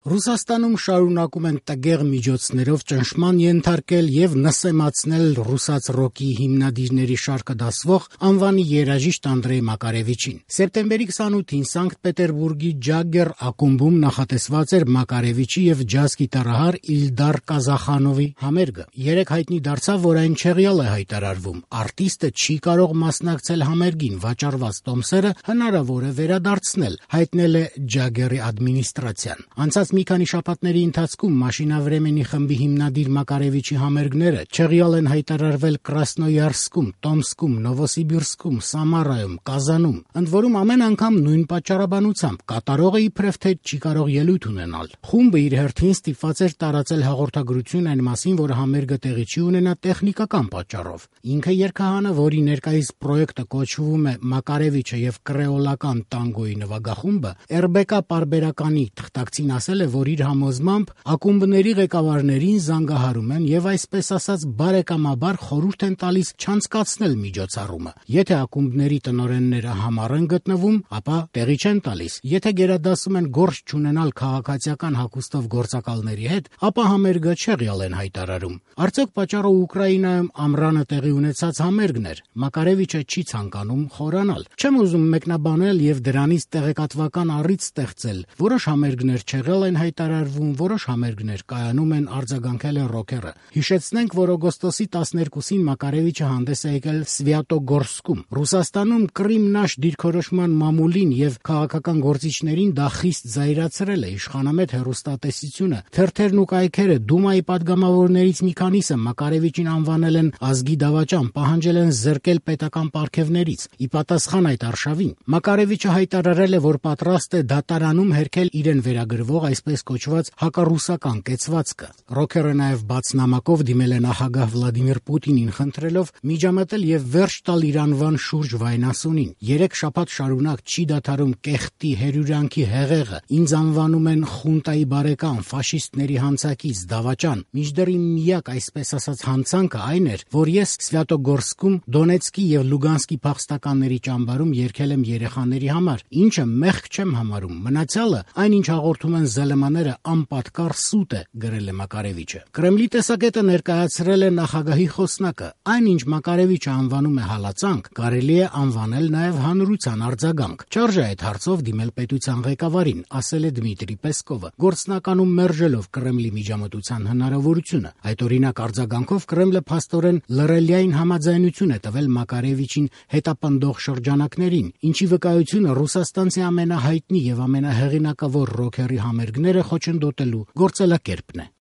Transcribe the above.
Ռուսաստանում շարունակում են տգեղ միջոցներով ճնշման ենթարկել եւ նսեմացնել ռուսաց ռոկի հիմնադիրների շարքը դասվող անվանի երաժիշտ Անդրեյ Մակարևիչին։ Սեպտեմբերի 28-ին Սանկտ Պետերբուրգի Ջագգեր ակումբում նախատեսված էր Մակարևիչի եւ ջազ գիտարահար Իլդար Կազախանովի համերգը։ Երեք հայտնի դարձավ, որ այն չեղյալ է հայտարարվում։ Արտիստը չի կարող մասնակցել համերգին, վաճառված տոմսերը հնարավոր է վերադարձնել, հայտնել է Ջագգերի ադմինիստրացիան։ Անցած մի քանի շաբաթների ընթացքում Մաշինավրեմենի խմբի հիմնադիր Մակարևիչի համերգները չեղյալ են հայտարարվել Կրասնոյարսկում, Տոմսկում, Նովոսիբիրսկում, Սամարայում, Կազանում։ Ընդ որում ամեն անգամ նույն պատճառաբանությամբ կատարողը իբրև թե չի կարող ելույթ ունենալ։ Խումբը իր հերթին ստիպված էր տարածել հաղորդագրություն այն մասին, որ համերգը տեղի չի ունենա տեխնիկական պատճառով։ Ինքը երգահանը, որի ներկայիս պրոյեկտը կոչվում է Մակարևիչը եւ կրեոլական տանգոյի նվագախումբը, RBK պարբերականի թղթակցին ասել է, որ իր համոզմամբ ակումբների ղեկավարներին զանգահարում են եւ այսպես ասած բարեկամաբար խորհուրդ են տալիս չանցկացնել միջոցառումը։ Եթե ակումբների տնօրենները համառ են գտնվում, ապա տեղի չեն տալիս։ Եթե գերադասում են գործ չունենալ քաղաքացիական հագուստով գործակալների հետ, ապա համերգը չեղյալ են հայտարարում։ Արդյոք պատճառը Ուկրաինայում ամռանը տեղի ունեցած համերգն էր։ Մակարևիչը չի ցանկանում խորանալ։ Չեմ ուզում մեկնաբանել եւ դրանից տեղեկատվական առիթ ստեղծել։ Որոշ համերգներ չեղյալ են հայտարարվում, որոշ համերգներ կայանում են, արձագանքել է ռոքերը։ Հիշեցնենք, որ օգոստոսի 12-ին Մակարևիչը հանդես է եկել Սվյատոգորսկում։ Ռուսաստանում Կրիմնաշ դիրքորոշման մամուլին եւ քաղաքական գործիչներին դա խիստ զայրացրել է։ Իշխանամետ հեռուստատեսությունը, թերթերն ու կայքերը, Դումայի падգամավորներից մի քանիսը Մակարևիչին անվանել են ազգի դավաճան, պահանջել են զրկել պետական պարգևներից։ Ի պատասխան այդ արշավին Մակարևիչը հայտարարել է, որ պատրաստ է դատարանում հերքել իրեն վերագրվող այսպես կոչված հակառուսական կեցվածքը։ Ռոքերը նաև բաց նամակով դիմել է նախագահ Վլադիմիր Պուտինին, խնդրելով միջամտել եւ վերջ տալ իր անվան շուրջ վայնասունին։ 3 շաբաթ շարունակ չի դադարում կեղտի հերյուրանքի հեղեղը։ Ինձ անվանում են խունտայի բարեկամ, ֆաշիստների հանցակից, դավաճան։ Մինչդեռ իմ միակ այսպես ասած հանցանքը այն էր, որ ես Սվյատոգորսկում Դոնեցկի եւ Լուգանսկի փախստականների ճամբարում երգել եմ երեխաների համար, ինչը մեղք չեմ համարում։ Մնացյալը, այնինչ հաղորդում են ԶԼՄ-ները, անպատկառ սուտ է, գրել է Մակարևիչը։ Կրեմլի տեսակետը ներկայացրել է նախագահի խոսնակը։ Այնինչ Մակարևիչը անվանում է հալածանք, կարելի է անվանել նաև հանրության արձագանք։ Չարժե այդ հարցով դիմել պետության ղեկավարին, ասել է Դմիտրի Պեսկովը, գործնականում մերժելով Կրեմլի միջամտության հնարավորությունը։ Այդ օրինակ արձագանքով Կրեմլը փաստորեն լռելիային համաձայնություն է տվել Մակարևիչին հետապնդող շրջանակներին, ինչի վկայությունը ռուսաստանցի ամենահայտնի եւ ամենահեղինակավոր ռոքերի համերգները խոչընդոտելու գործելակերպն է։